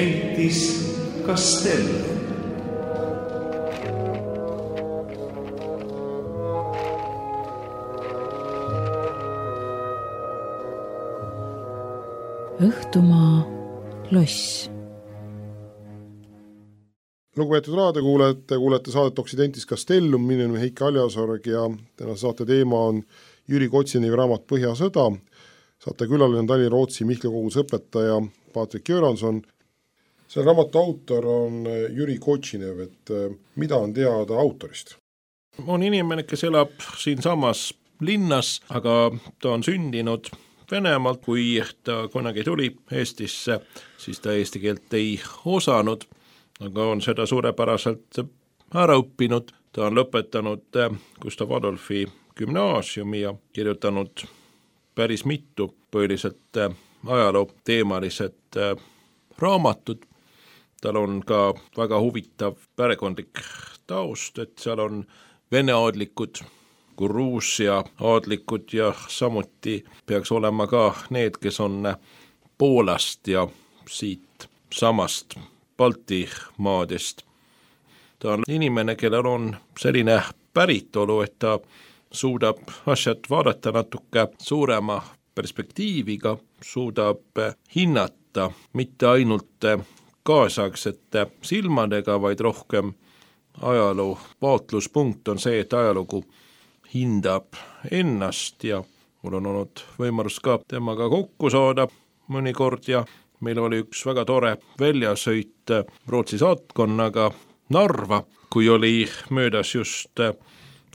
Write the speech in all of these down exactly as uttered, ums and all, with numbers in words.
Occidentis Castellum. Õhtumaa loss. Lugupeetud raadiokuulajad, te kuulete saadet Occidentis Castellum, minu nimi Heiki Aljasorg ja täna saate teema on Jüri Kotsinevi raamat Põhjasõda. Saate külaline on Tallinna Rootsi Mihkla koguduse õpetaja Patrik Göranson. See raamatu autor on Jüri Kotsinev, et mida on teada autorist? On inimene, kes elab siin samas linnas, aga ta on sündinud Venemaalt, kui ta kunagi tuli Eestisse, siis ta eesti keelt ei osanud, aga on seda suurepäraselt ära õppinud. Ta on lõpetanud Gustav Adolfi gümnaasiumi ja kirjutanud päris mitu põhiliselt ajaloo teemalised raamatud. Tal on ka väga huvitav perekondlik taust, et seal on vene aadlikud, Gruusia aadlikud ja samuti peaks olema ka need, kes on Poolast ja siit samast Balti maadest. Ta on inimene, kellel on selline päritolu, et ta suudab asjad vaadata natuke suurema perspektiiviga, suudab hinnata mitte ainult kaasaegsete silmadega, vaid rohkem ajaloo vaatluspunkt on see, et ajalugu hindab ennast ja mul on olnud võimalus ka temaga kokku saada mõnikord ja meil oli üks väga tore väljasõit Rootsi saatkonnaga Narva, kui oli möödas just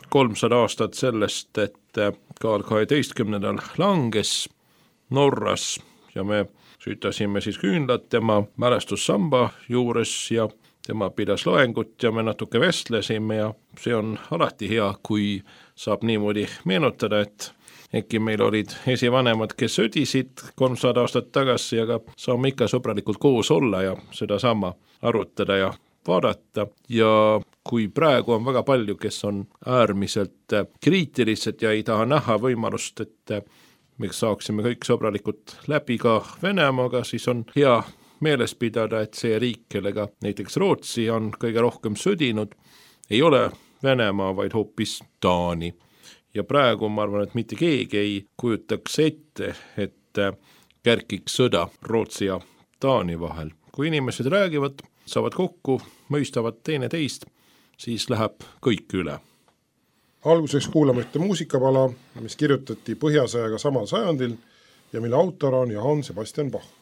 kolmsada aastat sellest, et Karl kaheteistkümnendal langes Norras ja me süütasime siis küünlad tema mälestussamba juures ja tema pidas loengut ja me natuke vestlesime ja see on alati hea, kui saab niimoodi meenutada, et äkki meil olid esivanemad, kes sõdisid kolmsada aastat tagasi, aga saame ikka sõbralikult koos olla ja seda sama arutada ja vaadata. Ja kui praegu on väga palju, kes on äärmiselt kriitilised ja ei taha näha võimalust, et me saaksime kõik sõbralikult läbi ka Venemaaga, siis on hea meeles pidada, et see riik, kellega näiteks Rootsi on kõige rohkem sõdinud, ei ole Venemaa, vaid hoopis Taani. Ja praegu ma arvan, et mitte keegi ei kujutaks ette, et kärkiks sõda Rootsi ja Taani vahel. Kui inimesed räägivad, saavad kokku, mõistavad teine teist, siis läheb kõik üle. Alguseks kuulame ühte muusikapala, mis kirjutati Põhjasõjaga samal sajandil ja mille autor on Johann Sebastian Bach.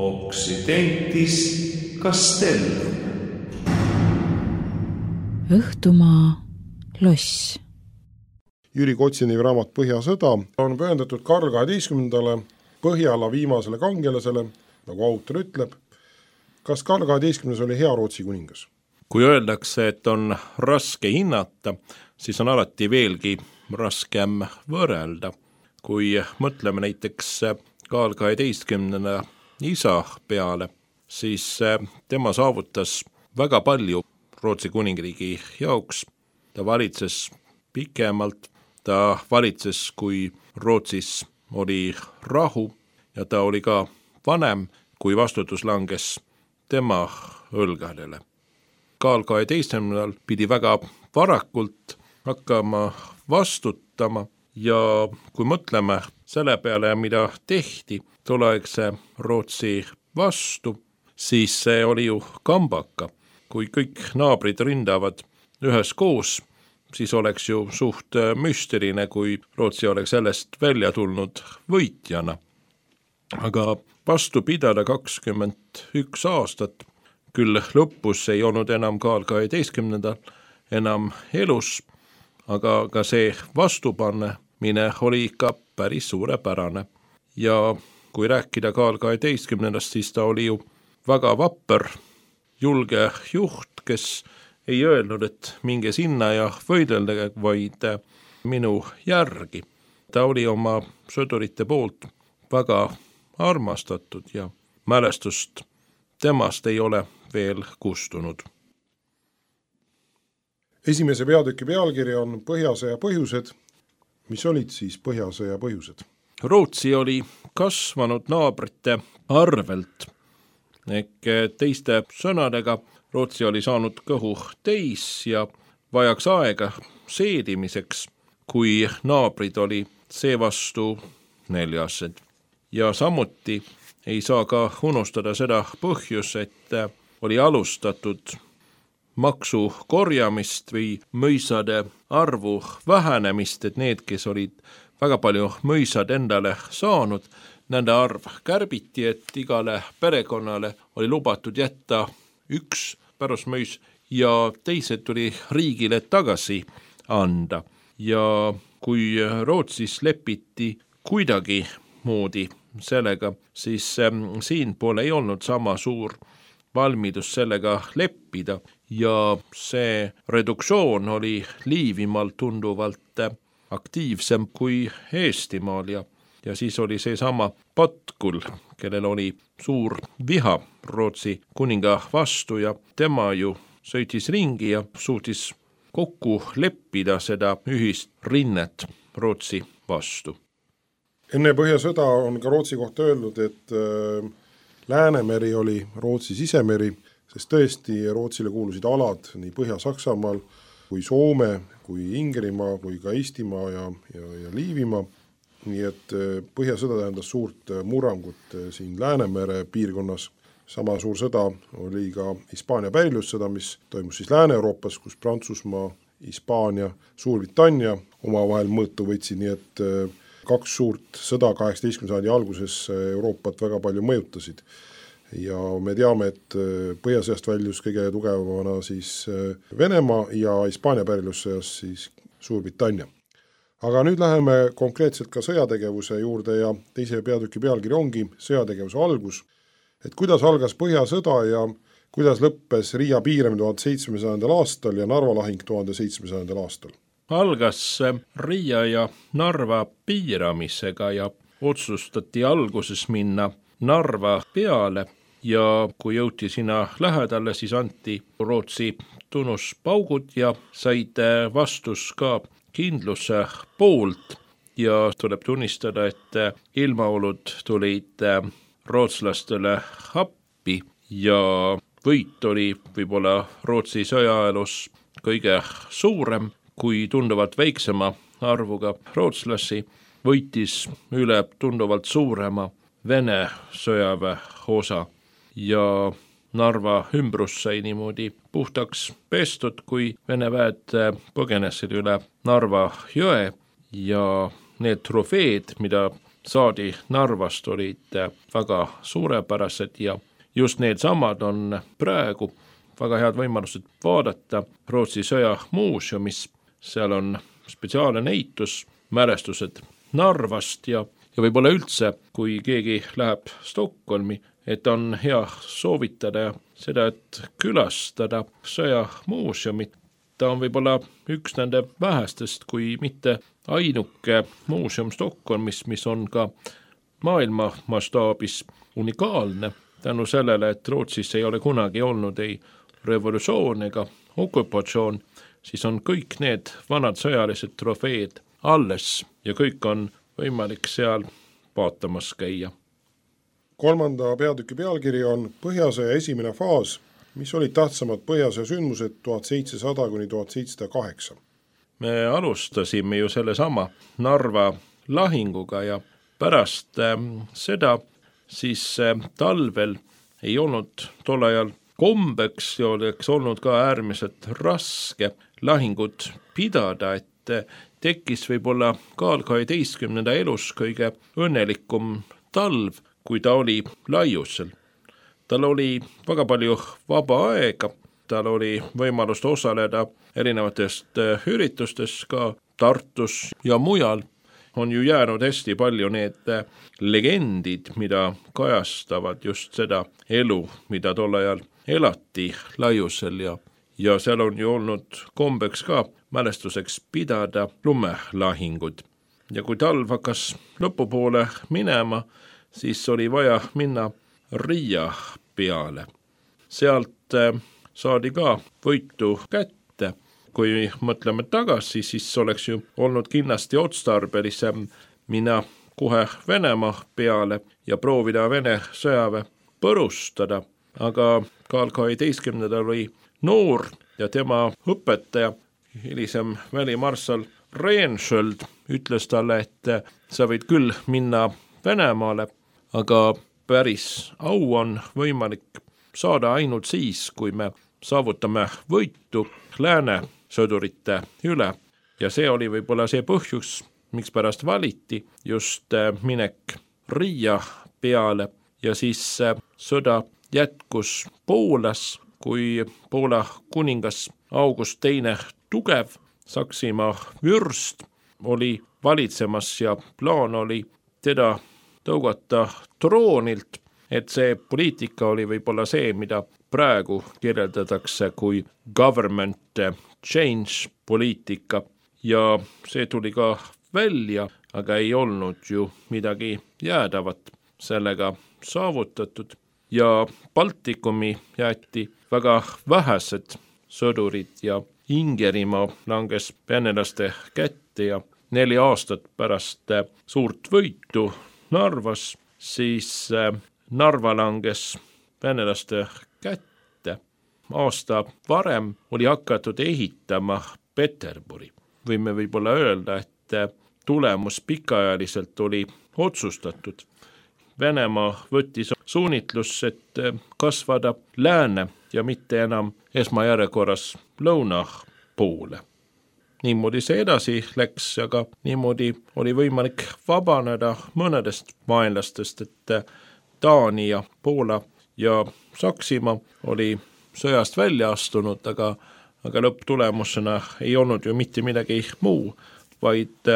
Occidentis Castellum. Õhtumaa loss. Jüri Kotsini raamat Põhjasõda on pühendatud Karl kaheteistkümnendale Põhjala viimasele kangelasele, nagu autor ütleb. Kas Karl kaheteistkümnes oli hea Rootsi kuningas? Kui öeldakse, et on raske hinnata, siis on alati veelgi raskem võrrelda. Kui mõtleme näiteks Karl kaheteistkümnenda isa peale, siis tema saavutas väga palju Rootsi kuningriigi jaoks. Ta valitses pikemalt, ta valitses, kui Rootsis oli rahu ja ta oli ka vanem, kui vastutus langes tema õlgadele. Karl kaheteistkümnendal pidi väga varakult hakkama vastutama ja kui mõtleme selle peale, mida tehti tolleaegse Rootsi vastu, siis see oli ju kambaka. Kui kõik naabrid rindavad üheskoos, siis oleks ju suht müsteline, kui Rootsi oleks sellest välja tulnud võitjana. Aga vastu pidada kakskümmend üks aastat, küll lõpus ei olnud enam Karl kaheteistkümnendal enam elus, aga ka see vastupannemine oli ikka päris suurepärane. Ja kui rääkida Karl kaheteistkümnendast, siis ta oli ju väga vapper, julge juht, kes ei öelnud, et minge sinna ja võideldage, vaid minu järgi. Ta oli oma sõdurite poolt väga armastatud ja mälestust temast ei ole veel kustunud. Esimese peatüki pealkiri on Põhjasõja põhjused. Mis olid siis Põhjasõja põhjused? Rootsi oli kasvanud naabrite arvelt. Ehk teiste sõnadega Rootsi oli saanud kõhu täis ja vajaks aega seedimiseks, kui naabrid oli seevastu neljased. Ja samuti ei saa ka unustada seda põhjus, et oli alustatud maksu korjamist või mõisade arvu vähenemist, et need, kes olid väga palju mõisad endale saanud, nende arv kärbiti, et igale perekonnale oli lubatud jätta üks pärusmõis ja teised tuli riigile tagasi anda. Ja kui Rootsis lepiti kuidagi moodi sellega, siis siin pole ei olnud sama suur valmidus sellega leppida ja see reduktsioon oli Liivimaal tunduvalt aktiivsem kui Eestimaal ja Ja siis oli see sama Patkul, kellel oli suur viha Rootsi kuninga vastu ja tema ju sõitis ringi ja suutis kokku leppida seda ühist rinnet Rootsi vastu. Enne Põhjasõda on ka Rootsi kohta öeldud, et äh, Läänemeri oli Rootsi sisemeri, sest tõesti Rootsile kuulusid alad nii Põhja-Saksamaal kui Soome, kui Ingerimaa, kui ka Eestimaa ja, ja, ja Liivimaa. Nii et Põhjasõda tähendas suurt murrangut siin Läänemere piirkonnas. Sama suur sõda oli ka Hispaania pärilussõda, mis toimus siis Lääne-Euroopas, kus Prantsusmaa, Hispaania, Suurbritannia omavahel mõõtu võtsid, nii et kaks suurt sõda kaheksateistkümnenda sajandi alguses Euroopat väga palju mõjutasid. Ja me teame, et Põhjasõjast väljus kõige tugevamana siis Venemaa ja Hispaania pärilussõjas siis Suurbritannia. Aga nüüd läheme konkreetselt ka sõjategevuse juurde ja teise peatüki pealkiri ongi sõjategevuse algus. Et kuidas algas Põhjasõda ja kuidas lõppes Riia piiramine tuhat seitsmesada aastal ja Narva lahing tuhat seitsmesada aastal? Algas Riia ja Narva piiramisega ja otsustati alguses minna Narva peale ja kui jõuti sinna lähedale, siis anti Rootsi tunnuspaugud ja said vastus ka kindluse poolt ja tuleb tunnistada, et ilmaolud tulid rootslastele appi ja võit oli võib-olla Rootsi sõjaelus kõige suurem, kui tunduvalt väiksema arvuga rootslasi võitis üle tunduvalt suurema Vene sõjaväe osa ja Narva ümbrus sai niimoodi puhtaks pestud, kui Vene väed põgenesid üle Narva jõe ja need trofeed, mida saadi Narvast, olid väga suurepärased ja just need samad on praegu väga head võimalused vaadata Rootsi sõja muuseumis. Seal on spetsiaalne näitus, mälestused Narvast ja, ja võib-olla üldse, kui keegi läheb Stockholmi, et on hea soovitada seda, et külastada sõjamuuseumit. Ta on võib-olla üks nende vähestest, kui mitte ainuke muuseum Stockholmis, mis on ka maailma mastaabis unikaalne. Tänu sellele, et Rootsis ei ole kunagi olnud ei revolutsioon ega okupatsioon, siis on kõik need vanad sõjalised trofeed alles ja kõik on võimalik seal vaatamas käia. Kolmanda peatüki pealkiri on Põhjasõja esimene faas, mis olid tähtsamad Põhjasõja sündmused tuhat seitsesada kuni tuhat seitsesada kaheksa. Me alustasime ju sellesama Narva lahinguga ja pärast äh, seda siis äh, talvel ei olnud tol ajal kombeks ja oleks olnud ka äärmiselt raske lahingut pidada, et äh, tekkis võib-olla Karl kaheteistkümnenda elus kõige õnnelikum talv, kui ta oli laiusel. Tal oli väga palju vaba aega, tal oli võimalust osaleda erinevatest üritustes ka Tartus ja mujal. On ju jäänud hästi palju need legendid, mida kajastavad just seda elu, mida tol ajal elati laiusel ja, ja seal on ju olnud kombeks ka mälestuseks pidada lumelahingud. Ja kui talv hakkas lõpupoole minema, siis oli vaja minna Riia peale. Sealt saadi ka võitu kätte. Kui mõtleme tagasi, siis oleks ju olnud kindlasti otstarbelisem minna kohe Venemaa peale ja proovida Vene sõjaväe põrustada. Aga Karl kaheteistkümnendal oli noor ja tema õpetaja, hilisem välimarssal Rehnsköld, ütles talle, et sa võid küll minna Venemaale, aga päris au on võimalik saada ainult siis, kui me saavutame võitu lääne sõdurite üle. Ja see oli võib-olla see põhjus, miks pärast valiti just minek Riia peale ja siis sõda jätkus Poolas, kui Poola kuningas August teine tugev, Saksimaa vürst, oli valitsemas ja plaan oli teda tõugata troonilt, et see poliitika oli võib-olla see, mida praegu kirjeldatakse kui government change poliitika ja see tuli ka välja, aga ei olnud ju midagi jäädavat sellega saavutatud ja Baltikumi jäeti väga vähesed sõdurid ja Ingerimaa langes venelaste kätte ja neli aastat pärast suurt võitu Narvas, siis Narva langes venelaste kätte. Aasta varem oli hakatud ehitama Peterburi. Võime võib-olla öelda, et tulemus pikaajaliselt oli otsustatud. Venemaa võttis suunitlus, et kasvada lääne ja mitte enam esmajärjekorras lõuna poole. Niimoodi see edasi läks, aga niimoodi oli võimalik vabaneda mõnedest vaenlastest, et Taani ja Poola ja Saksimaa oli sõjast välja astunud, aga, aga lõpptulemusena ei olnud ju mitte midagi muu, vaid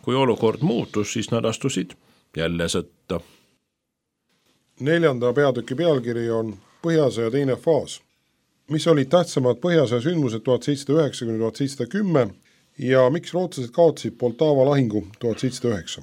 kui olukord muutus, siis nad astusid jälle sõtta. Neljanda peatüki pealkiri on Põhjasõja teine faas, mis olid tähtsamad Põhjasõja sündmused tuhat seitsesada üheksa kuni tuhat seitsesada kümme ja miks rootslased kaotasid Poltava lahingu tuhat seitsesada üheksa.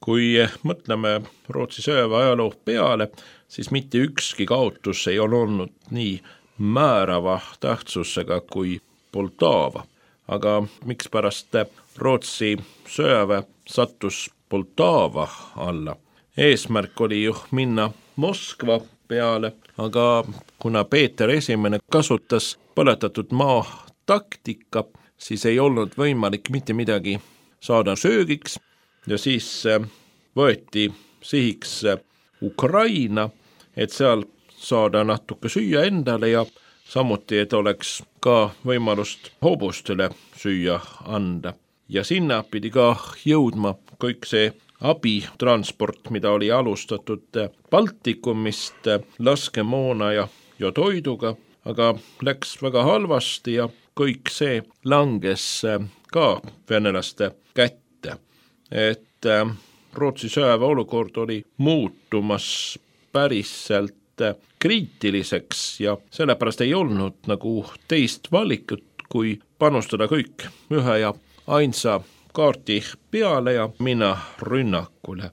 Kui mõtleme Rootsi sõjaväe ajaloo peale, siis mitte ükski kaotus ei ole olnud nii määrava tähtsusega kui Poltava. Aga miks pärast Rootsi sõjaväe sattus Poltava alla? Eesmärk oli ju minna Moskva peale, aga kuna Peeter esimene kasutas põletatud maa taktika, siis ei olnud võimalik mitte midagi saada söögiks ja siis võeti sihiks Ukraina, et seal saada natuke süüa endale ja samuti, et oleks ka võimalust hobustele süüa anda. Ja sinna pidi ka jõudma kõik see abitransport, mida oli alustatud Baltikumist laskemoona ja, ja toiduga, aga läks väga halvasti ja kõik see langes ka venelaste kätte, et Rootsi sõjaväe olukord oli muutumas päriselt kriitiliseks ja sellepärast ei olnud nagu teist valikut, kui panustada kõik ühe ja ainsa kaardi peale ja minna rünnakule.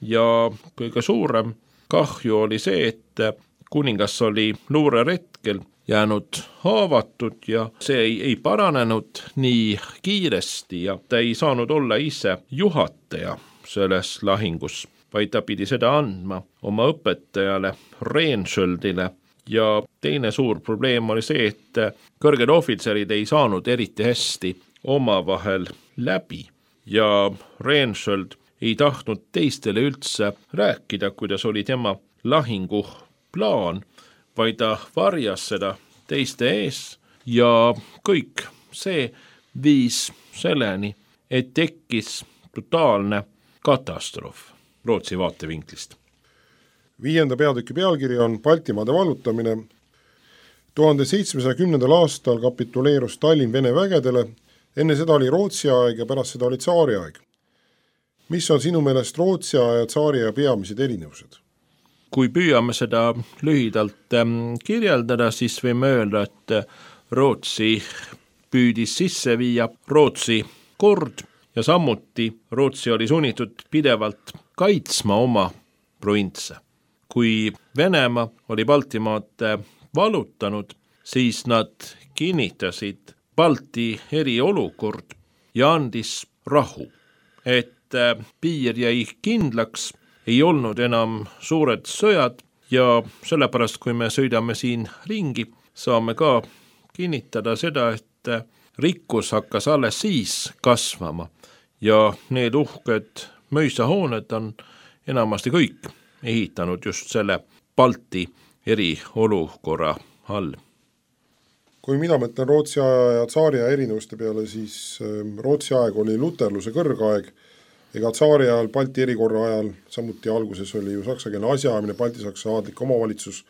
Ja kõige suurem kahju oli see, et kuningas oli luureretkel jäänud haavatud ja see ei, ei paranenud nii kiiresti ja ta ei saanud olla ise juhataja selles lahingus, vaid ta pidi seda andma oma õpetajale Rehnskjöldile. Ja teine suur probleem oli see, et kõrged ohvitserid ei saanud eriti hästi omavahel läbi ja Rehnskjöld ei tahtnud teistele üldse rääkida, kuidas oli tema lahingu plaan, vaid ta varjas seda teiste ees ja kõik see viis selleni, et tekkis totaalne katastroof Rootsi vaatevinklist. Viienda peatüki pealkiri on Baltimaade vallutamine. tuhande seitsmesaja kümnendal aastal kapituleerus Tallinn Vene vägedele, enne seda oli Rootsi aeg ja pärast seda oli tsaari aeg. Mis on sinu meelest Rootsi aja ja tsaari aja peamised erinevused? Kui püüame seda lühidalt kirjeldada, siis võime öelda, et Rootsi püüdis sisse viia Rootsi kord ja samuti Rootsi oli sunnitud pidevalt kaitsma oma provintse. Kui Venemaa oli Baltimaad vallutanud, siis nad kinnitasid Balti eriolukord ja andis rahu, et piir jäi kindlaks, ei olnud enam suured sõjad ja sellepärast, kui me sõidame siin ringi, saame ka kinnitada seda, et rikkus hakkas alles siis kasvama ja need uhked möisahooned on enamasti kõik ehitanud just selle Balti eriolukorra all. Kui mina mõtlen Rootsi aja ja tsaari aja erinevuste peale, siis Rootsi aeg oli luterluse kõrgaeg, ega tsaari ajal Balti erikorra ajal, samuti alguses oli ju saksakeelne asjaajamine, Balti-Saksa aadlik omavalitsus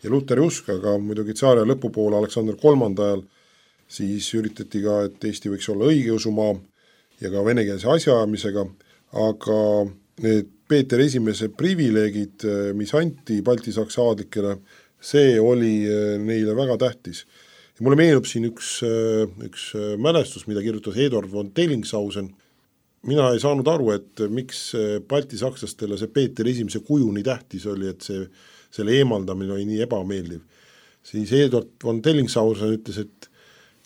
ja luteri usk, aga muidugi tsaari aja lõpupoole Aleksander kolmanda ajal siis üritati ka, et Eesti võiks olla õigeusumaa ja ka venekeelse asjaajamisega, aga need Peeter esimese privileegid, mis anti Balti-Saksa aadlikele, see oli neile väga tähtis. Ja mulle meenub siin üks, üks mälestus, mida kirjutas Eduard von Dellingshausen. Mina ei saanud aru, et miks Balti-Sakslastele see Peeter esimese kuju nii tähtis oli, et see, selle eemaldamine oli nii ebameeldiv. Siis Eduard von Dellingshausen ütles, et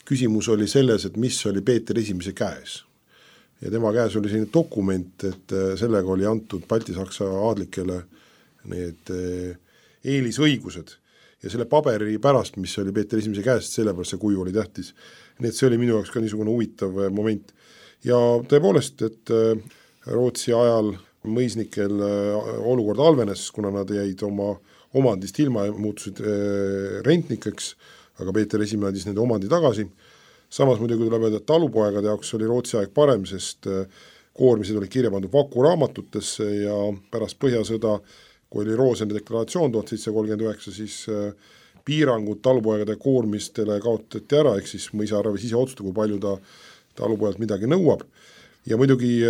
küsimus oli selles, et mis oli Peeter esimese käes. Ja tema käes oli selline dokument, et sellega oli antud Balti-Saksa aadlikele need eelisõigused. Ja selle paberi pärast, mis oli Peeter esimese käest, sellepärast see kuju oli tähtis. Nii et see oli minu jaoks ka niisugune huvitav moment. Ja tõepoolest, et Rootsi ajal mõisnikel olukord halvenes, kuna nad jäid oma omandist ilma ja muutusid rentnikeks, aga Peeter esimene andis nende omandi tagasi. Samas muidugi tuleb öelda, et talupoegade jaoks oli Rootsi aeg parem, sest koormised olid kirja pandud vakuraamatutesse ja pärast põhjasõda, kui oli Rooseni deklaratsioon tuhat seitsesada kolmkümmend üheksa, siis piirangud talupoegade koormistele kaotati ära, ehk siis mõisaarves ise otsustada, kui palju ta talupojalt midagi nõuab. Ja muidugi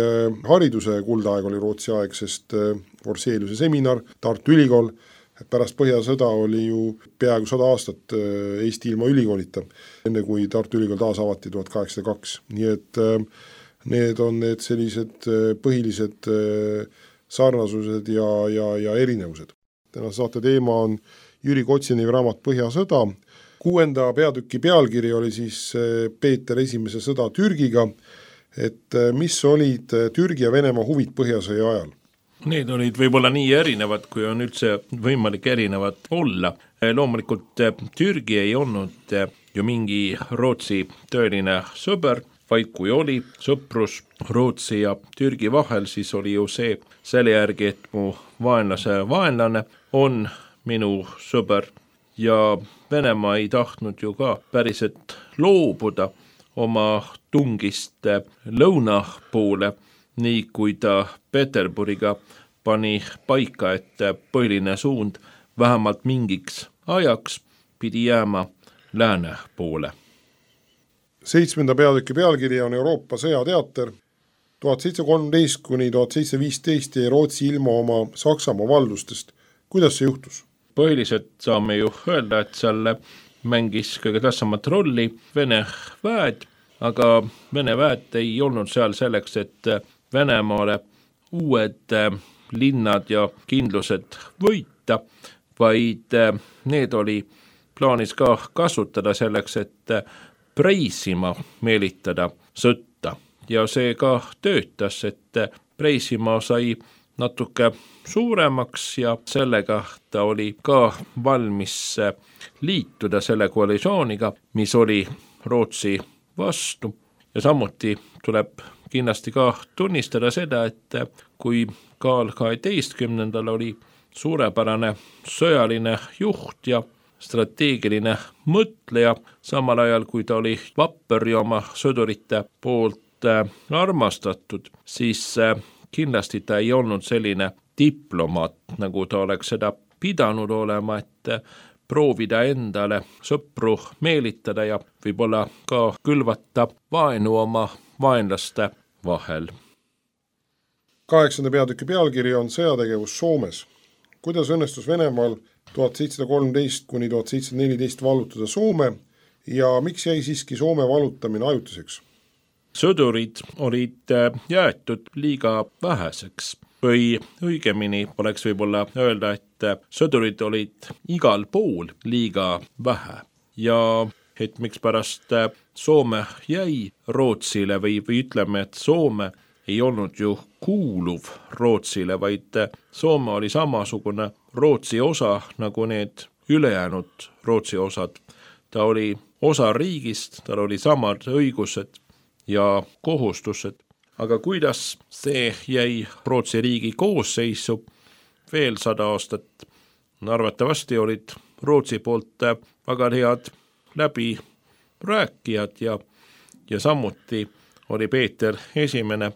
hariduse kuldaeg oli Rootsi aeg, sest Forseliuse seminar, Tartu Ülikool, pärast põhjasõda oli ju peaaegu sada aastat Eesti ilma ülikoolita, enne kui Tartu Ülikool taas avati tuhat kaheksasada kaks. Nii et need on need sellised põhilised sarnasused ja, ja, ja erinevused. Tänase saate teema on Jüri Kotsini raamat Põhjasõda. Kuuenda peatüki pealkiri oli siis Peeter esimese sõda Türgiga, et mis olid Türgi ja Venemaa huvid põhjasõja ajal? Need olid võib-olla nii erinevad, kui on üldse võimalik erinevad olla. Loomulikult Türgi ei olnud ju mingi Rootsi tõeline sõber, vaid kui oli sõprus Rootsi ja Türgi vahel, siis oli ju see selle järgi, et mu vaenlase vaenlane on minu sõber ja Venemaa ei tahtnud ju ka päriselt loobuda oma tungist lõuna poole, nii kui ta Peterburiga pani paika, et põhiline suund vähemalt mingiks ajaks pidi jääma lääne poole. seitsmenda peatüki pealkiri on Euroopa sõjateater. tuhat seitsesada kolmteist kuni tuhat seitsesada viisteist jäi Rootsi ilma oma Saksamaa valdustest. Kuidas see juhtus? Põhiliselt saame ju öelda, et seal mängis kõige tähtsamat rolli Vene väed, aga Vene väed ei olnud seal selleks, et Venemaale uued linnad ja kindlused võita, vaid need oli plaanis ka kasutada selleks, et Preisimaa meelitada sõtta. Ja see ka töötas, et Preisimaa sai natuke suuremaks ja sellega ta oli ka valmis liituda selle koalitsiooniga, mis oli Rootsi vastu. Ja samuti tuleb kindlasti ka tunnistada seda, et kui Karl kaheteistkümnendal oli suurepärane sõjaline juht ja strateegiline mõtleja, samal ajal kui ta oli vapper ja oma sõdurite poolt armastatud, siis kindlasti ta ei olnud selline diplomaat, nagu ta oleks seda pidanud olema, et proovida endale sõpru meelitada ja võib-olla ka külvata vaenu oma vaenlaste vahel. Kaheksanda peatüki pealkiri on sõjategevus Soomes. Kuidas õnnestus Venemaal tuhat seitsesada kolmteist kuni tuhat seitsesada neliteist vallutada Soome ja miks jäi siiski Soome vallutamine ajutiseks? Sõdurid olid jäetud liiga väheseks või õigemini oleks võib-olla öelda, et sõdurid olid igal pool liiga vähe ja et miks pärast Soome jäi Rootsile või, või ütleme, et Soome ei olnud ju kuuluv Rootsile, vaid Soome oli samasugune Rootsi osa nagu need ülejäänud Rootsi osad. Ta oli osa riigist, tal oli samad õigused ja kohustused, aga kuidas see jäi Rootsi riigi koosseisu veel sada aastat, arvatavasti olid Rootsi poolt väga head läbi rääkijad ja, ja samuti oli Peeter esimene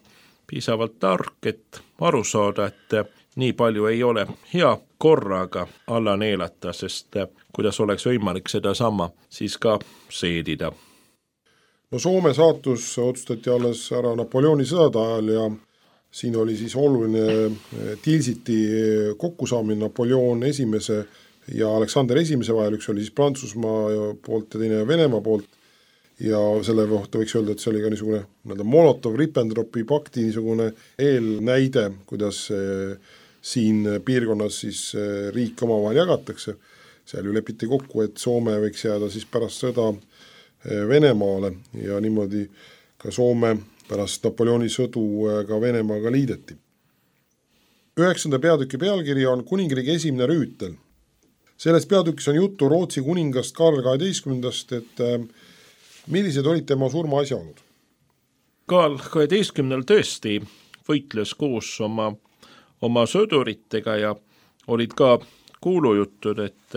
piisavalt tark, et aru saada, et nii palju ei ole hea korraga alla neelata, sest kuidas oleks võimalik seda sama siis ka seedida. No Soome saatus otsustati alles ära Napoleoni sõdade ajal ja siin oli siis oluline Tilsiti kokkusaamine Napoleon esimese ja Aleksander esimese vahel, üks oli siis Prantsusmaa poolt ja teine Venemaa poolt ja selle kohta võiks öelda, et see oli ka niisugune Molotov-Ribbentropi pakti niisugune eelnäide, kuidas siin piirkonnas siis riik omavahel jagatakse. Seal ju lepiti kokku, et Soome võiks jääda siis pärast sõda Venemaale ja niimoodi ka Soome pärast Napoleoni sõdu ka Venemaaga liideti. Üheksanda peatüki pealkiri on Kuningriigi esimene rüütel. Selles peatükis on juttu Rootsi kuningast Karl kaheteistkümnendast, et millised olid tema surma asjaolud? Karl kaheteistkümnendal tõesti võitles koos oma, oma sõduritega ja olid ka kuulujutud, et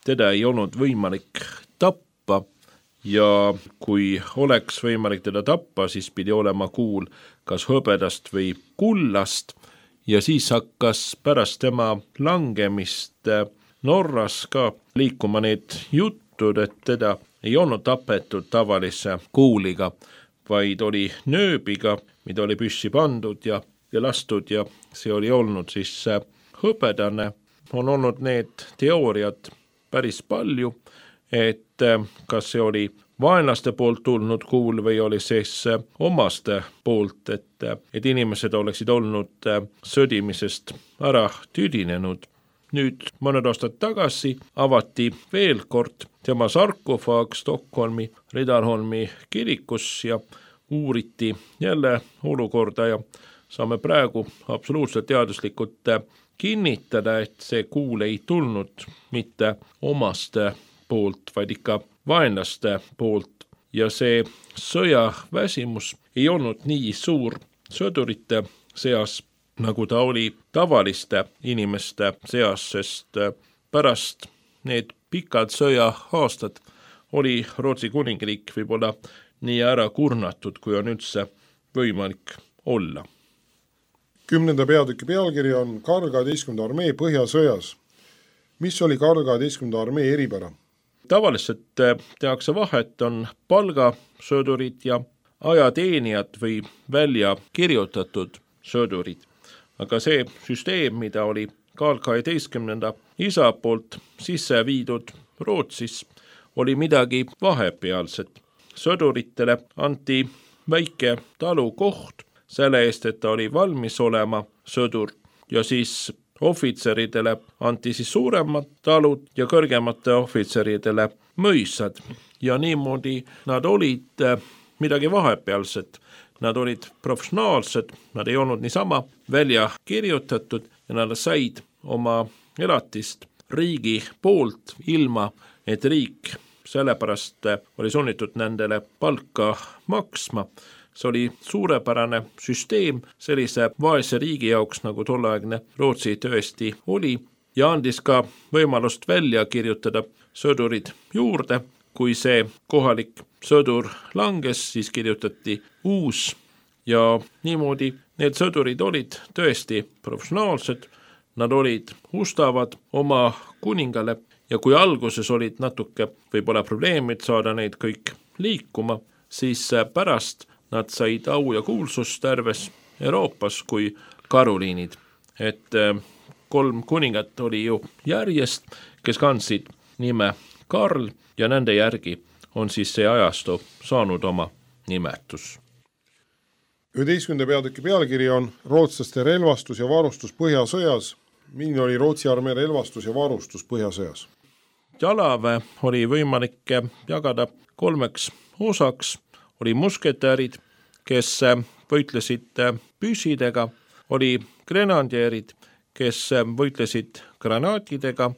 teda ei olnud võimalik tappa ja kui oleks võimalik teda tappa, siis pidi olema kuul kas hõbedast või kullast ja siis hakkas pärast tema langemist Norras ka liikuma need jutud, et teda ei olnud tapetud tavalise kuuliga, vaid oli nööbiga, mida oli püssi pandud ja, ja lastud ja see oli olnud siis hõbedane. On olnud need teooriad päris palju, et kas see oli vaenlaste poolt tulnud kuul või oli siis omaste poolt, et, et inimesed oleksid olnud sõdimisest ära tüdinenud. Nüüd mõned aastad tagasi avati veel kord tema sarkofaag Stockholmi Riddarholmi kirikus ja uuriti jälle olukorda ja saame praegu absoluutselt teaduslikult kinnitada, et see kuul ei tulnud mitte omaste poolt, vaid ikka vaenlaste poolt ja see sõjaväsimus ei olnud nii suur sõdurite seas, nagu ta oli tavaliste inimeste seas, sest pärast need pikad sõja-aastad oli Rootsi kuningriik võib-olla nii ära kurnatud, kui on üldse võimalik olla. Kümnenda peatüki pealkiri on Karl kaheteistkümnenda armee põhjasõjas. Mis oli Karl kaheteistkümnenda armee eripära? tavaliselt tehakse vahet, on palgasõdurid ja ajateenijad või välja kirjutatud sõdurid. Aga see süsteem, mida oli Karl kaheteistkümnenda isa poolt sisse viidud Rootsis, oli midagi vahepealset. Sõduritele anti väike talukoht selle eest, et ta oli valmis olema sõdur ja siis ohvitseridele anti siis suuremad talud ja kõrgemate ohvitseridele mõisad. Ja niimoodi nad olid midagi vahepealset. Nad olid professionaalsed, nad ei olnud niisama välja kirjutatud ja nad said oma elatist riigi poolt ilma, et riik sellepärast oli sunnitud nendele palka maksma. See oli suurepärane süsteem sellise vaese riigi jaoks, nagu tolleaegne Rootsi tõesti oli, ja andis ka võimalust välja kirjutada sõdurid juurde. Kui see kohalik sõdur langes, siis kirjutati uus ja niimoodi need sõdurid olid tõesti professionaalsed, nad olid ustavad oma kuningale ja kui alguses olid natuke võib-olla probleemid saada neid kõik liikuma, siis pärast nad said au ja kuulsust terves Euroopas kui Karoliinid. Et kolm kuningat oli ju järjest, kes kandsid nime Karl ja nende järgi on siis see ajastu saanud oma nimetus. üheteistkümnenda peatüki pealkiri on rootslaste relvastus ja varustus Põhjasõjas. Milline oli Rootsi armee relvastus ja varustus Põhjasõjas? Jalaväe oli võimalik jagada kolmeks osaks. Oli musketärid, kes võitlesid püsidega, oli grenadierid, kes võitlesid granaatidega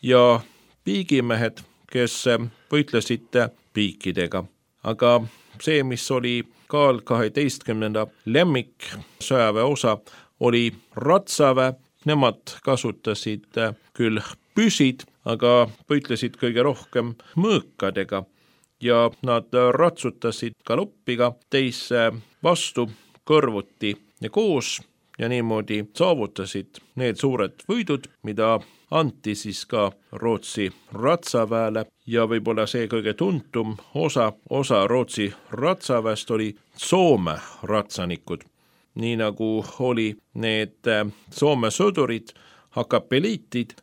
ja piigimehed, kes võitlesid piikidega. Aga see, mis oli Karl kaheteistkümnenda lemmik sõjaväe osa, oli ratsaväe. Nemad kasutasid küll püsid, aga võitlesid kõige rohkem mõõkadega ja nad ratsutasid galoppiga teise vastu kõrvuti ja koos ja niimoodi saavutasid need suured võidud, mida anti siis ka Rootsi ratsaväele ja võib-olla see kõige tuntum osa, osa Rootsi ratsaväest oli Soome ratsanikud. Nii nagu oli need Soome sõdurid, hakapeliitid,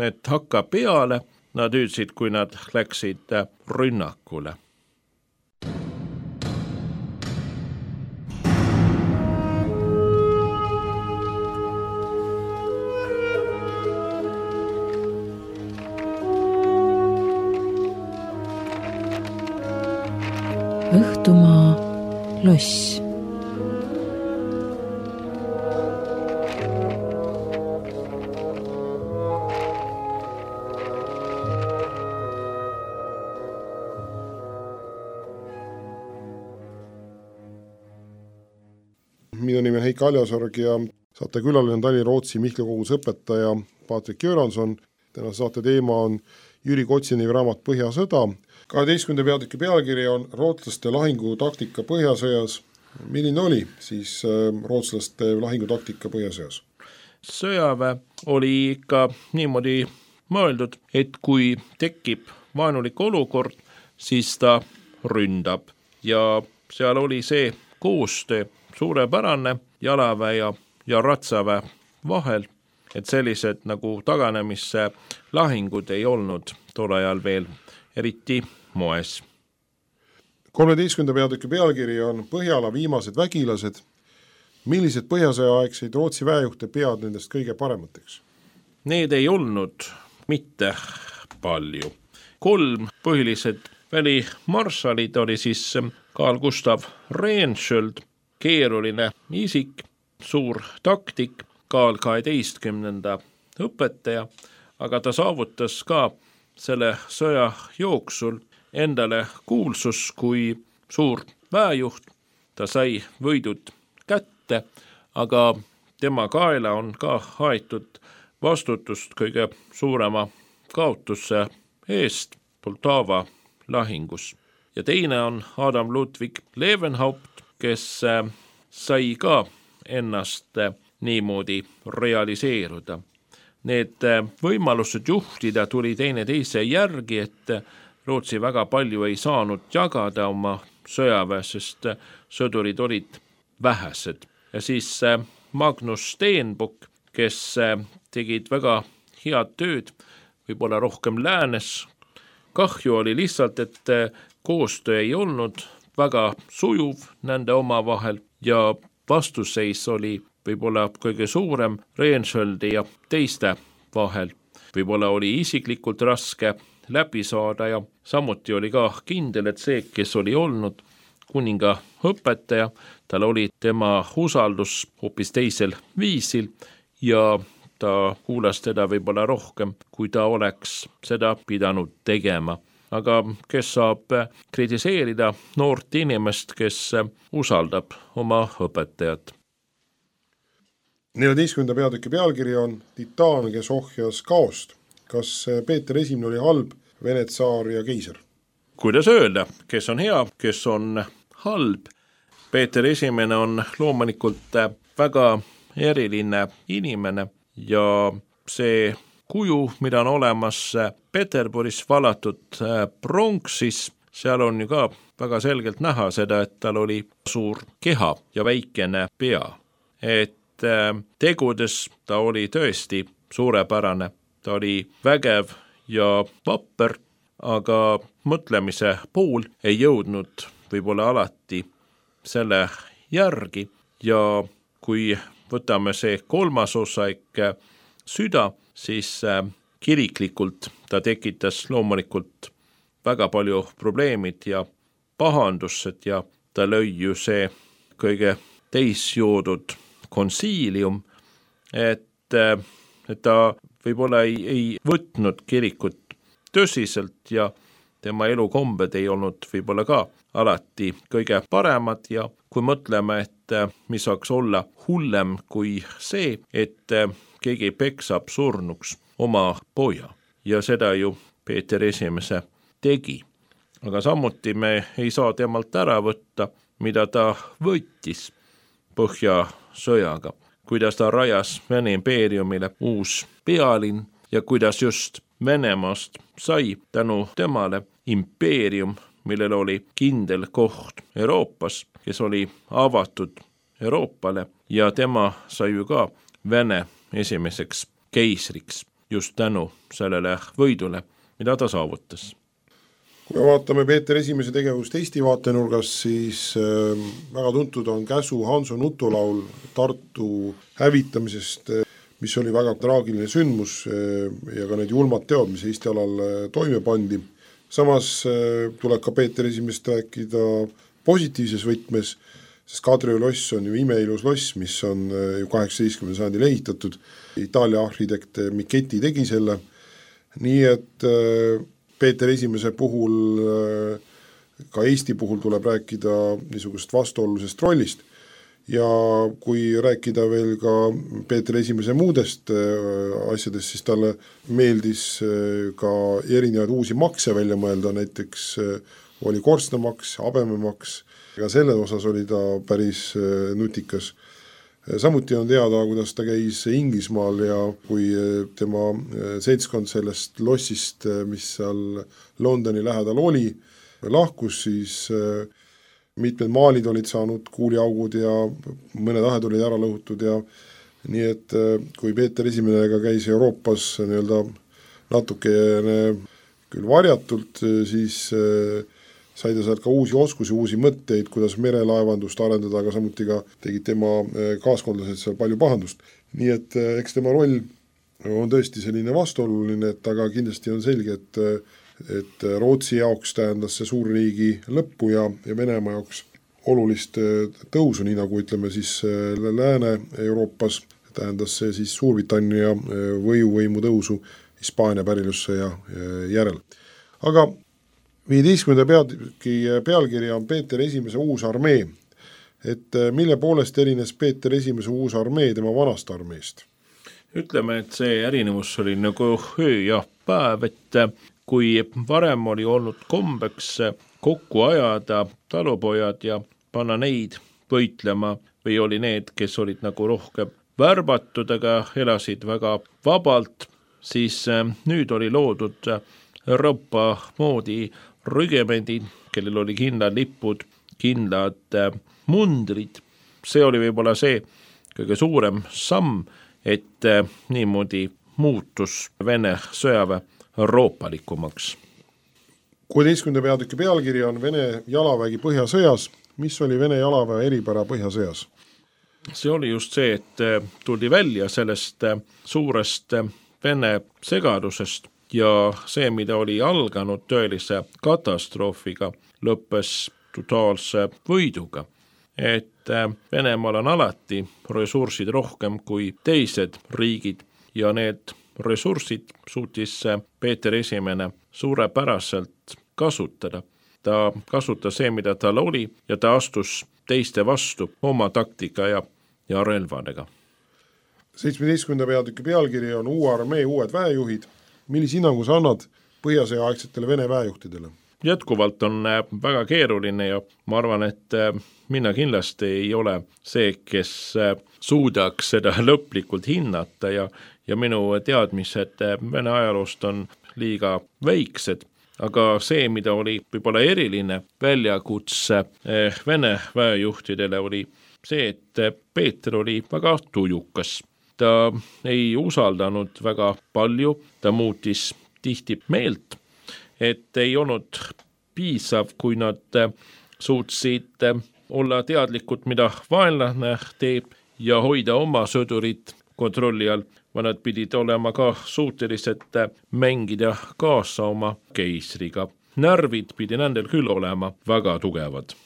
et hakka peale nad hüüdsid, kui nad läksid rünnakule. Õhtumaa loss. Minu nimi on Heiki Aljasorg ja saate külaline on Tallinna Rootsi Mihkla kogus õpetaja Patrik Göranson. Tänase saate teema on Jüri Kotsini raamat Põhjasõda. kaheteistkümnenda peatüki pealkiri on rootslaste lahingutaktika Põhjasõjas. Milline oli siis rootslaste lahingutaktika Põhjasõjas? Sõjaväe oli ikka niimoodi mõeldud, et kui tekib vaenulik olukord, siis ta ründab ja seal oli see koostöö suurepärane jalaväe ja, ja ratsaväe vahel, et sellised nagu taganemisse lahingud ei olnud tol ajal veel eriti moes. kolmeteistkümnenda peatüki pealkiri on Põhjala viimased vägilased. Millised Põhjasõja-aegseid Rootsi väejuhte pead nendest kõige paremateks? Need ei olnud mitte palju. Kolm põhilised välimarsalid oli siis Carl Gustav Rehnskiöld, keeruline isik, suur taktik, Karl kaheteistkümnenda õpetaja, aga ta saavutas ka selle sõja jooksul endale kuulsus kui suur väejuht. Ta sai võidud kätte, aga tema kaela on ka haetud vastutust kõige suurema kaotuse eest Poltava lahingus. Ja teine on Adam Ludwig Leeuwenhaupt, kes sai ka ennast niimoodi realiseeruda. need võimalused juhtida tuli teine teise järgi, et Rootsi väga palju ei saanud jagada oma sõjaväe, sest sõdurid olid vähesed. Ja siis Magnus Stenbock, kes tegid väga head tööd, võib-olla rohkem läänes. Kahju oli lihtsalt, et koostöö ei olnud väga sujuv nende omavahel ja vastuseis oli võib-olla kõige suurem Reenschöldi ja teiste vahel. Võib-olla oli isiklikult raske läbi saada ja samuti oli ka kindel, et see, kes oli olnud kuninga õpetaja, tal oli tema usaldus hoopis teisel viisil ja ta kuulas teda võib-olla rohkem, kui ta oleks seda pidanud tegema. Aga kes saab kritiseerida noort inimest, kes usaldab oma õpetajat? neljateistkümnenda peatüki pealkiri on Titaan, kes ohjas kaost. Kas Peeter Esimene oli halb, Vene tsaar ja keiser? Kuidas öelda, kes on hea, kes on halb? Peeter Esimene on loomulikult väga eriline inimene ja see kuju, mida on olemas Peterburis valatud pronksis, seal on ju ka väga selgelt näha seda, et tal oli suur keha ja väikene pea. Et tegudes ta oli tõesti suurepärane, ta oli vägev ja vapper, aga mõtlemise pool ei jõudnud võib-olla alati selle järgi ja kui võtame see kolmas osa ikka süda, siis kiriklikult ta tekitas loomulikult väga palju probleemid ja pahandused ja ta lõi ju see kõige teisjoodud konsiilium, et, et ta võib-olla ei, ei võtnud kirikut tõsiselt ja tema elukombed ei olnud võib-olla ka alati kõige paremad ja kui mõtleme, et mis saaks olla hullem kui see, et keegi peksab surnuks oma poja ja seda ju Peeter Esimese tegi. Aga samuti me ei saa temalt ära võtta, mida ta võttis Põhjasõjaga, kuidas ta rajas Vene impeeriumile uus pealinn ja kuidas just Venemaast sai tänu temale impeerium, millel oli kindel koht Euroopas, kes oli avatud Euroopale ja tema sai ju ka Vene esimeseks keisriks just tänu sellele võidule, mida ta saavutas. Kui me vaatame Peeter Esimese tegevust Eesti vaatenurgas, siis äh, väga tuntud on Käsu Hanso nutulaul Tartu hävitamisest, mis oli väga traagiline sündmus äh, ja ka need julmad teod, mis Eesti alal äh, toime pandi. Samas äh, tuleb ka Peeter Esimest rääkida positiivses võtmes, sest Kadrioru loss on ju imeilus loss, mis on äh, ju kaheksateistkümnendal sajandil ehitatud. Itaalia arhitekt Michetti tegi selle, nii et äh, Peeter Esimese puhul, ka Eesti puhul tuleb rääkida niisugust vastuolulisest rollist ja kui rääkida veel ka Peeter Esimese muudest asjadest, siis talle meeldis ka erinevaid uusi makse välja mõelda, näiteks oli korstnamaks, habememaks, ja selle osas oli ta päris nutikas. Samuti on teada, kuidas ta käis Inglismaal ja kui tema seltskond sellest lossist, mis seal Londoni lähedal oli, lahkus, siis mitmed maalid olid saanud kuuliaugud ja mõned ahed olid ära lõhutud ja nii et kui Peeter Esimene käis Euroopas nii-öelda natukene küll varjatult, siis sai ta sealt ka uusi oskusi, uusi mõtteid, kuidas merelaevandust arendada, aga samuti ka tegid tema kaaskondlased seal palju pahandust. Nii et eks tema roll on tõesti selline vastuoluline, et aga kindlasti on selge, et, et Rootsi jaoks tähendas see suurriigi lõppu ja, ja Venemaa jaoks olulist tõusu, nii nagu ütleme siis Lääne-Euroopas, tähendas see siis Suurbritannia võjuvõimu tõusu Hispaania pärilusse ja järel. Aga viieteistkümnenda peatüki pealkirja on Peeter Esimese uus armee, et mille poolest erines Peeter Esimese uus armee tema vanast armeest? Ütleme, et see erinevus oli nagu öö ja päev, et kui varem oli olnud kombeks kokku ajada talupojad ja panna neid võitlema või oli need, kes olid nagu rohkem värbatud, aga elasid väga vabalt, siis nüüd oli loodud Euroopa moodi rügemendid, kellel oli kindlad lipud, kindlad mundrid. See oli võib-olla see kõige suurem samm, et niimoodi muutus Vene sõjaväe euroopalikumaks. kuueteistkümnenda peatüki pealkiri on Vene jalavägi Põhjasõjas. Mis oli Vene jalaväe eripära Põhjasõjas? See oli just see, et tuldi välja sellest suurest Vene segadusest ja see, mida oli alganud tõelise katastroofiga, lõppes totaalse võiduga. Et Venemaal on alati ressursid rohkem kui teised riigid ja need ressursid suutis Peeter Esimene suurepäraselt kasutada. Ta kasutas see, mida tal oli ja ta astus teiste vastu oma taktika ja, ja relvadega. seitsmeteistkümnenda peatüki pealkiri on Uue armee uued väejuhid. Millise hinnangu sa annad Põhjasõja aegsetele Vene väejuhtidele? Jätkuvalt on väga keeruline ja ma arvan, et mina kindlasti ei ole see, kes suudaks seda lõplikult hinnata ja, ja minu teadmised Vene ajaloost on liiga väiksed, aga see, mida oli võib-olla eriline väljakutse Vene väejuhtidele, oli see, et Peeter oli väga tujukas. Ta ei usaldanud väga palju, ta muutis tihti meelt, et ei olnud piisav, kui nad suutsid olla teadlikud, mida vaenlane teeb ja hoida oma sõdurit kontrolli all, või nad pidid olema ka suutelised mängida kaasa oma keisriga. Närvid pidi nendel küll olema väga tugevad.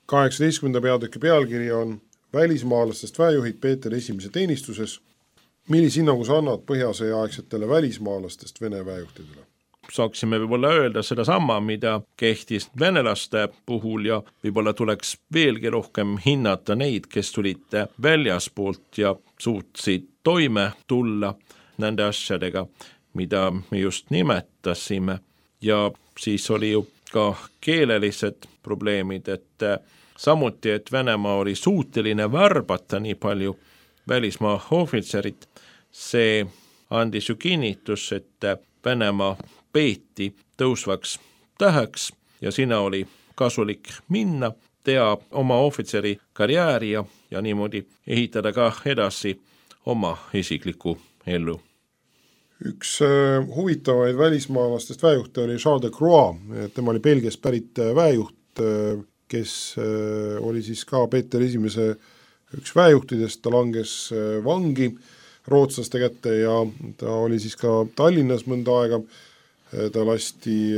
kaheksateistkümnenda peatüki pealkiri on Välismaalastest väejuhid Peeter Esimese teenistuses. Millise hinnangu sa annad Põhjasõja aegsetele välismaalastest Vene väejuhtidele? Saaksime võib-olla öelda seda sama, mida kehtis venelaste puhul ja võib-olla tuleks veelgi rohkem hinnata neid, kes tulid väljaspoolt ja suutsid toime tulla nende asjadega, mida me just nimetasime. Ja siis oli ju ka keelelised probleemid, et samuti, et Venemaa oli suuteline värbata nii palju välismaa ohvitserit, see andis ju kinnitus, et Venemaa peeti tõusvaks täheks ja sinna oli kasulik minna, teha oma ohvitseri karjääri ja, ja niimoodi ehitada ka edasi oma isiklikku ellu. Üks huvitavaid välismaalastest väejuhte oli Charles de Croix, tema oli Belgiast pärit väejuht, kes oli siis ka Peeter Esimese üks väejuhtidest, ta langes vangi rootslaste kätte ja ta oli siis ka Tallinnas mõnda aega, ta lasti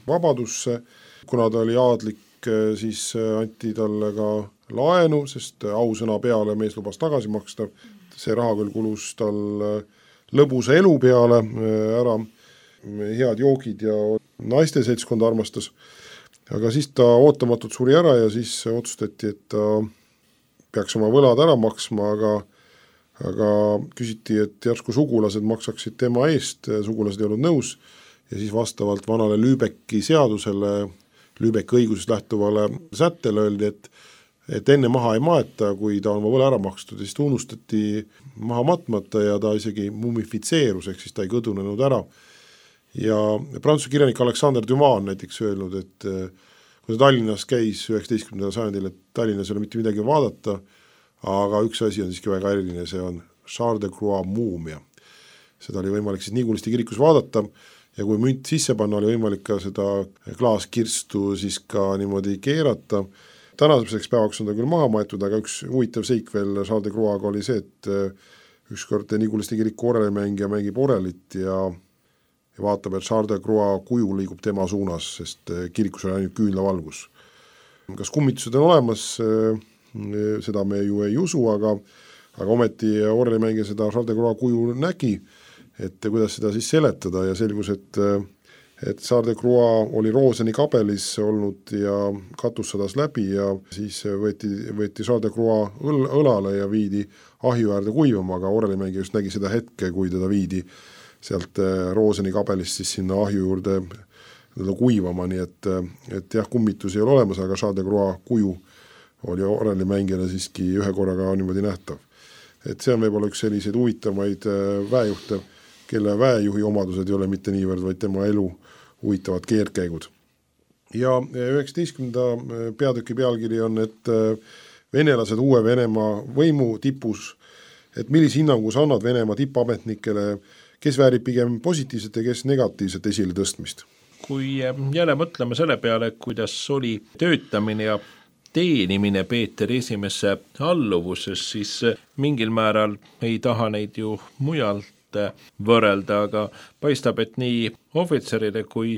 vabadusse, kuna ta oli aadlik, siis anti talle ka laenu, sest ausõna peale mees lubas tagasi maksta, see raha küll kulus tal lõbusa elu peale ära, head joogid ja naiste seltskond armastas. Aga siis ta ootamatult suri ära ja siis otsustati, et ta peaks oma võlad ära maksma, aga, aga küsiti, et järsku sugulased maksaksid tema eest, sugulased ei olnud nõus ja siis vastavalt vanale Lübecki seadusele, Lübecki õigusest lähtuvale sättele öeldi, et, et enne maha ei maeta, kui ta on oma võla ära makstud, siis ta unustati maha matmata ja ta isegi mumifitseerus, ehk siis ta ei kõdunenud ära. Ja prantsuse kirjanik Alexander Dumas on näiteks öelnud, et kui ta Tallinnas käis üheksateistkümnendal sajandil, et Tallinnas ei ole mitte midagi vaadata, aga üks asi on siiski väga eriline, see on Charles de Croix muumia. Seda oli võimalik siis Nigulisti kirikus vaadata ja kui münt sisse panna, oli võimalik ka seda klaaskirstu siis ka niimoodi keerata. Tänaseks päevaks on ta küll maha maetud, aga üks huvitav seik veel Charles de Croix'ga oli see, et ükskord Nigulisti kiriku orelimängija mängib orelit ja ja vaatab, et Charles de Croix kuju liigub tema suunas, sest kirikus on ainult küünlavalgus. Kas kummitused on olemas, seda me ju ei usu, aga, aga ometi orelimängija seda Charles de Croix kuju nägi, et kuidas seda siis seletada ja selgus, et, et Charles de Croix oli Rooseni kabelis olnud ja katus sadas läbi ja siis võeti, võeti Charles de Croix õl, õlale ja viidi ahju äärde kuivama, aga orelimängija just nägi seda hetke, kui teda viidi sealt Rooseni kabelist siis sinna ahju juurde kuivama, nii et, et jah, kummitus ei ole olemas, aga Charles de Croix kuju oli orellimängijale siiski ühe korraga niimoodi nähtav. Et see on võib-olla üks selliseid huvitavaid väejuhte, kelle väejuhi omadused ei ole mitte niivõrd, vaid tema elu huvitavad keerkäigud. Ja üheksateistkümnenda peatüki pealkiri on, et venelased uue Venemaa võimu tipus, et millise hinnangu sa annad Venemaa tippametnikele, kes väärib pigem positiivset ja kes negatiivset esile tõstmist? Kui jälle mõtleme selle peale, kuidas oli töötamine ja teenimine Peeter esimesse alluvuses, siis mingil määral ei taha neid ju mujalt võrrelda, aga paistab, et nii ohvitseride kui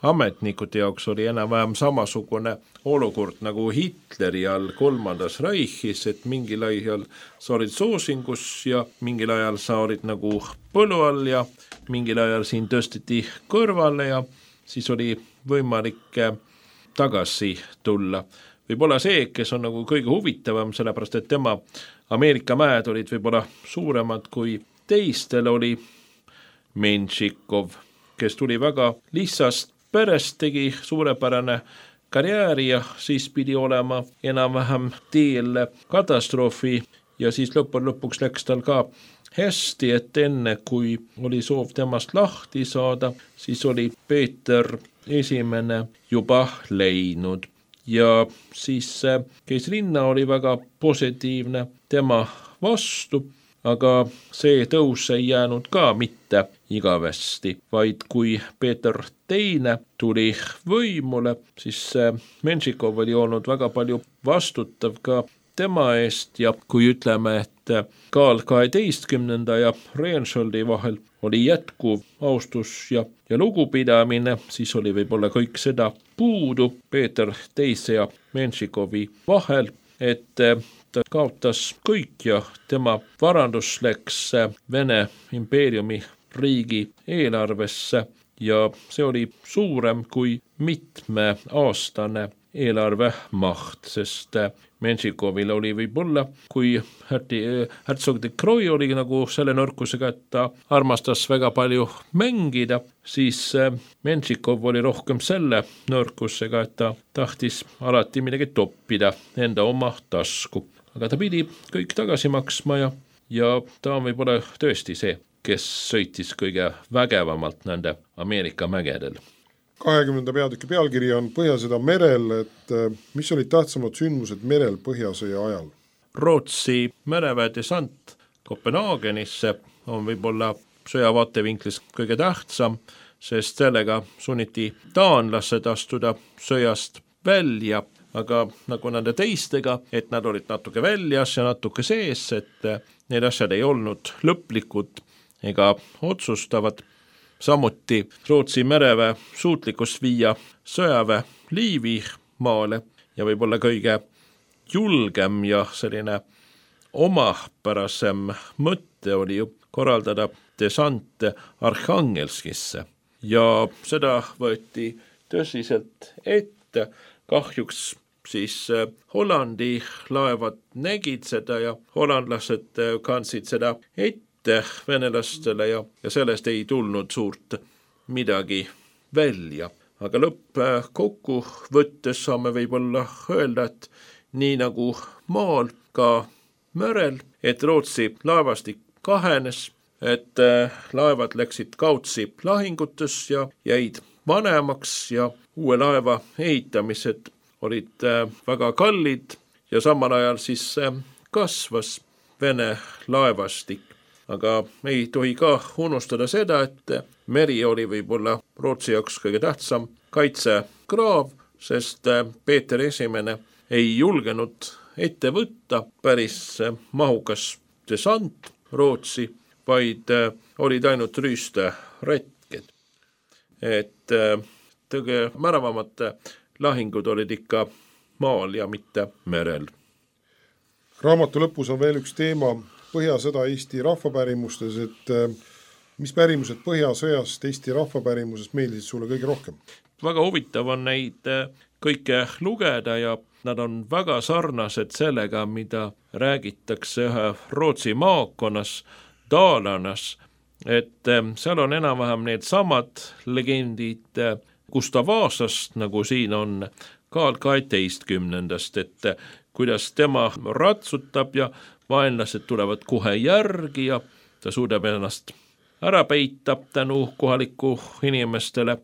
ametnikute jaoks oli enam-vähem samasugune olukord nagu Hitleri all kolmandas Reichis, et mingil ajal sa olid soosingus ja mingil ajal sa olid nagu põlu all ja mingil ajal siin tõsteti kõrvale ja siis oli võimalik tagasi tulla. Võib-olla see, kes on nagu kõige huvitavam, sellepärast et tema Ameerika mäed olid võib-olla suuremad kui teistel, oli Menšikov, kes tuli väga lihtsast perest, tegi suurepärane karjääri ja siis pidi olema enam-vähem teel katastroofi ja siis lõpun lõpuks läks tal ka hästi, et enne kui oli soov temast lahti saada, siis oli Peeter esimene juba läinud ja siis keisrinna oli väga positiivne tema vastu, aga see tõus ei jäänud ka mitte igavesti, vaid kui Peeter teine tuli võimule, siis Menšikov oli olnud väga palju vastutav ka tema eest ja kui ütleme, et Karl kaheteistkümnenda ja Reinscholdi vahel oli jätkuv austus ja, ja lugupidamine, siis oli võib-olla kõik seda puudu Peeter teise ja Menšikovi vahel, et ta kaotas kõik ja tema varandus läks Vene impeeriumi riigi eelarvesse ja see oli suurem kui mitmeaastane eelarve maht, sest Menšikovil oli võib-olla, kui Herzog de Croix oli nagu selle nõrkusega, et ta armastas väga palju mängida, siis Menšikov oli rohkem selle nõrkusega, et ta tahtis alati midagi toppida enda oma tasku. Aga ta pidi kõik tagasi maksma ja, ja ta on võib-olla tõesti see, kes sõitis kõige vägevamalt nende Ameerika mägedel. kahekümnenda peatüki pealkiri on Põhjasõda merel, et mis olid tähtsamad sündmused merel Põhjasõja ajal? Rootsi mereväe desant Kopenhaagenisse on võib-olla sõja vaatevinklis kõige tähtsam, sest sellega sunniti taanlased astuda sõjast välja, aga nagu nende teistega, et nad olid natuke väljas ja natuke sees, et need asjad ei olnud lõplikud ega otsustavad. Samuti Rootsi mereväe suutlikkus viia sõjaväe Liivi maale ja võib-olla kõige julgem ja selline omapärasem mõte oli ju korraldada desant Arhangelskisse ja seda võeti tõsiselt ette. Kahjuks siis Hollandi laevad nägid seda ja hollandlased kandsid seda ette venelastele ja, ja sellest ei tulnud suurt midagi välja. Aga lõpp kokku võttes saame võib-olla öelda, et nii nagu maal ka merel, et Rootsi laevastik kahenes, et laevad läksid kautsi lahingutes ja jäid vanemaks ja uue laeva ehitamised olid väga kallid ja samal ajal siis kasvas Vene laevastik. Aga ei tohi ka unustada seda, et meri oli võib-olla Rootsi jaoks kõige tähtsam kaitsekraav, sest Peeter esimene ei julgenud ette võtta päris mahukas desant Rootsi, vaid olid ainult rüüsteretked. Et tõge märavamad lahingud olid ikka maal ja mitte merel. Raamatu lõpus on veel üks teema, Põhjasõda Eesti rahvapärimustes, et mis pärimused Põhjasõjast Eesti rahvapärimusest meeldisid sulle kõige rohkem? Väga huvitav on neid kõike lugeda ja nad on väga sarnased sellega, mida räägitakse ühe Rootsi maakonnas, Daalanas, et seal on enam-vähem need samad legendid Gustav Vasast, nagu siin on Karl kaheteistkümnendast, et kuidas tema ratsutab ja vaenlased tulevad kohe järgi ja ta suudab ennast ära peita tänu kohaliku inimestele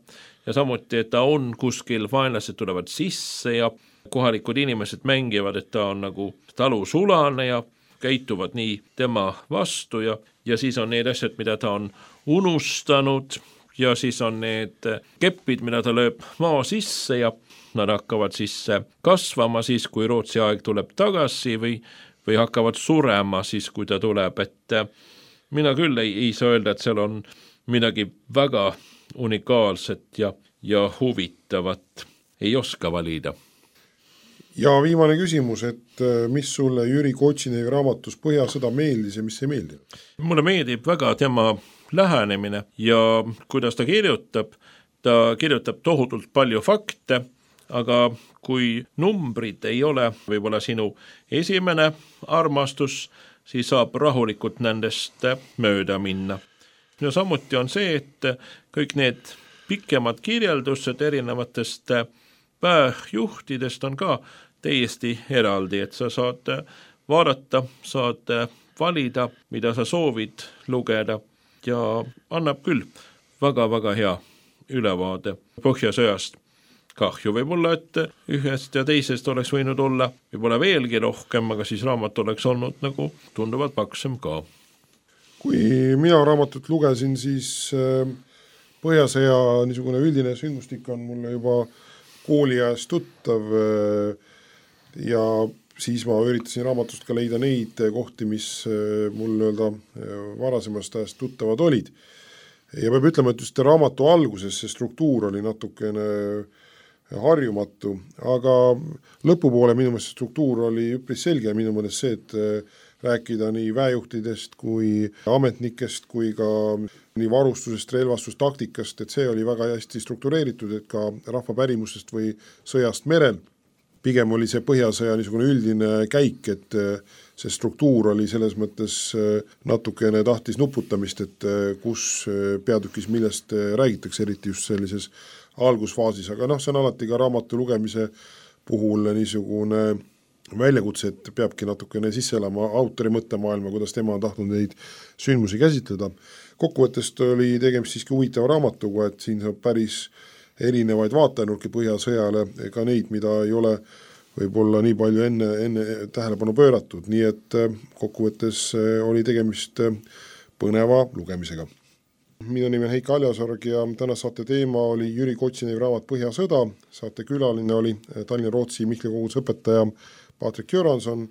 ja samuti, et ta on kuskil, vaenlased tulevad sisse ja kohalikud inimesed mängivad, et ta on nagu talusulane ja käituvad nii tema vastu ja, ja siis on need asjad, mida ta on unustanud ja siis on need keppid, mida ta lööb maa sisse ja nad hakkavad siis kasvama siis, kui Rootsi aeg tuleb tagasi või, või hakkavad surema siis, kui ta tuleb, et mina küll ei, ei saa öelda, et seal on midagi väga unikaalset ja, ja huvitavat, ei oska valida. Ja viimane küsimus, et mis sulle Jüri Kotsinevi raamatus Põhjasõda meeldis ja mis ei meeldi? Mulle meeldib väga tema lähenemine ja kuidas ta kirjutab, ta kirjutab tohutult palju fakte, aga kui numbrid ei ole võib-olla sinu esimene armastus, siis saab rahulikult nendest mööda minna. Ja samuti on see, et kõik need pikemad kirjeldused erinevatest pääjuhtidest on ka täiesti eraldi, et sa saad vaadata, saad valida, mida sa soovid lugeda ja annab küll väga-väga hea ülevaade Põhjasõjast. Kahju võib-olla, et ühest ja teisest oleks võinud olla võib-olla veelgi rohkem, aga siis raamat oleks olnud nagu tunduvalt paksem ka. Kui mina raamatut lugesin, siis Põhjasõja niisugune üldine sündmustik on mulle juba kooli ajast tuttav ja siis ma üritasin raamatust ka leida neid kohti, mis mul öelda varasemast ajast tuttavad olid. Ja peab ütlema, et just raamatu alguses see struktuur oli natukene harjumatu, aga lõpupoole minu meelest struktuur oli üpris selge ja minu meelest see, et rääkida nii väejuhtidest kui ametnikest kui ka nii varustusest, relvastust, taktikast, et see oli väga hästi struktureeritud, et ka rahva pärimusest või sõjast merel. Pigem oli see Põhjasõja niisugune üldine käik, et see struktuur oli selles mõttes natukene tahtis nuputamist, et kus peatükis millest räägitakse, eriti just sellises algusfaasis, aga noh, see on alati ka raamatu lugemise puhul niisugune väljakutse, et peabki natukene sisse elama autori mõttemaailma, kuidas tema on tahtnud neid sündmusi käsitleda. Kokkuvõttest oli tegemist siiski huvitava raamatuga, et siin saab päris erinevaid vaatenurki Põhjasõjale, ka neid, mida ei ole võib-olla nii palju enne, enne tähelepanu pööratud, nii et kokkuvõttes oli tegemist põneva lugemisega. Minu nimi on Heiki Aljasorg ja täna saate teema oli Jüri Kotsinevi raamat Põhjasõda, saate külaline oli Tallinna Rootsi Mihkli koguduse õpetaja Patrik Göranson,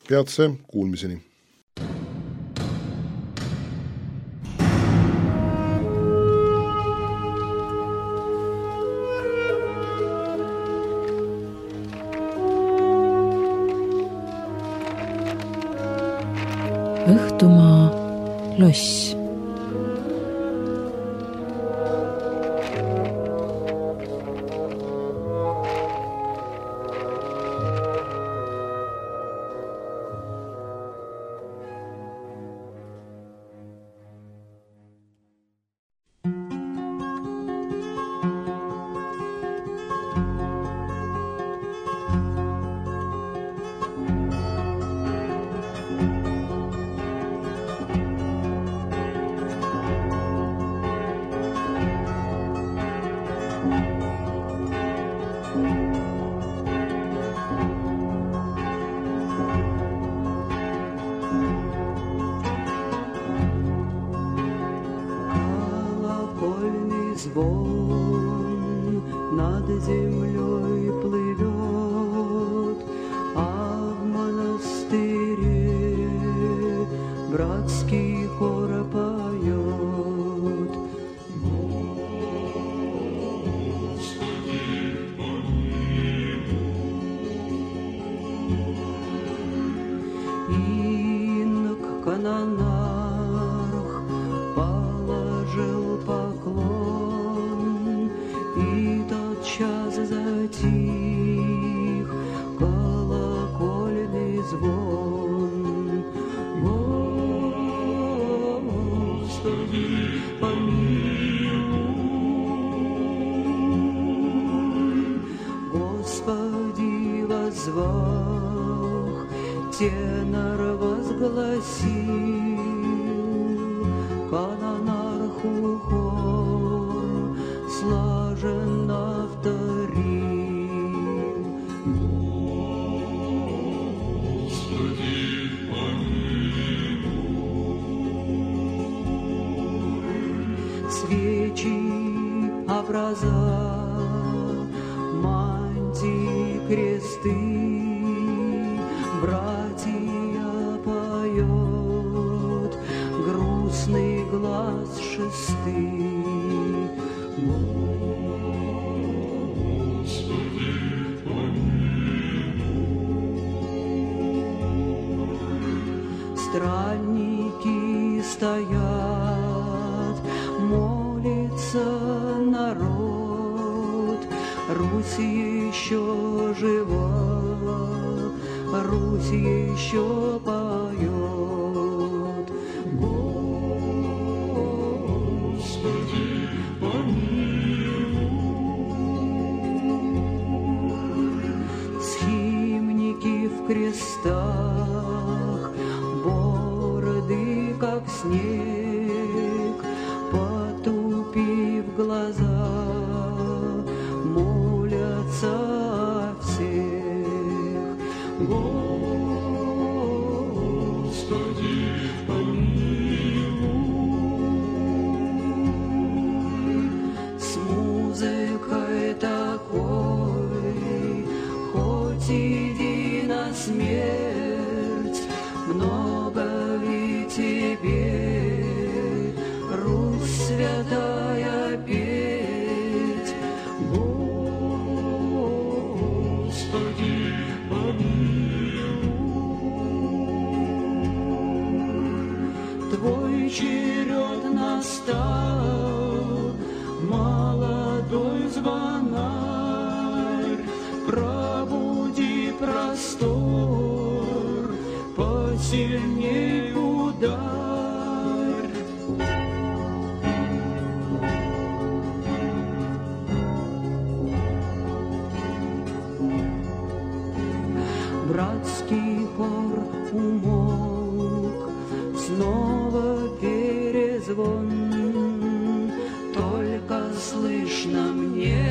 peatse kuulmiseni. Õhtumaa loss. Звон над землей плывет, а в монастыре братский хор поет. Господи, помилуй. Инок канонарх положил поклон, и тотчас затих колокольный звон. Господи, помилуй, Господи, воззвал. тенор возгласил, канонарху хор слаженно вторил. Господи, помилуй. Свечи, образа, мантии, кресты, братья поет грустный глаз шесты. Господи, помилуй. Странники стоят, молится народ, Русь еще жива, Русь еще поет. Господи, помилуй. Схимники в крестах, бороды, как снег, потупив глаза, молятся о всех. Господи, помилуй. С музыкой такой, хоть иди на смерть, много ли тебе, Русь святая, петь? Господи, твой черед настал, молодой звонарь, пробуди простор, посильней ударь. Братский хор умолк, снова перезвон, только слышно мне,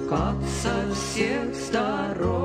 как со всех сторон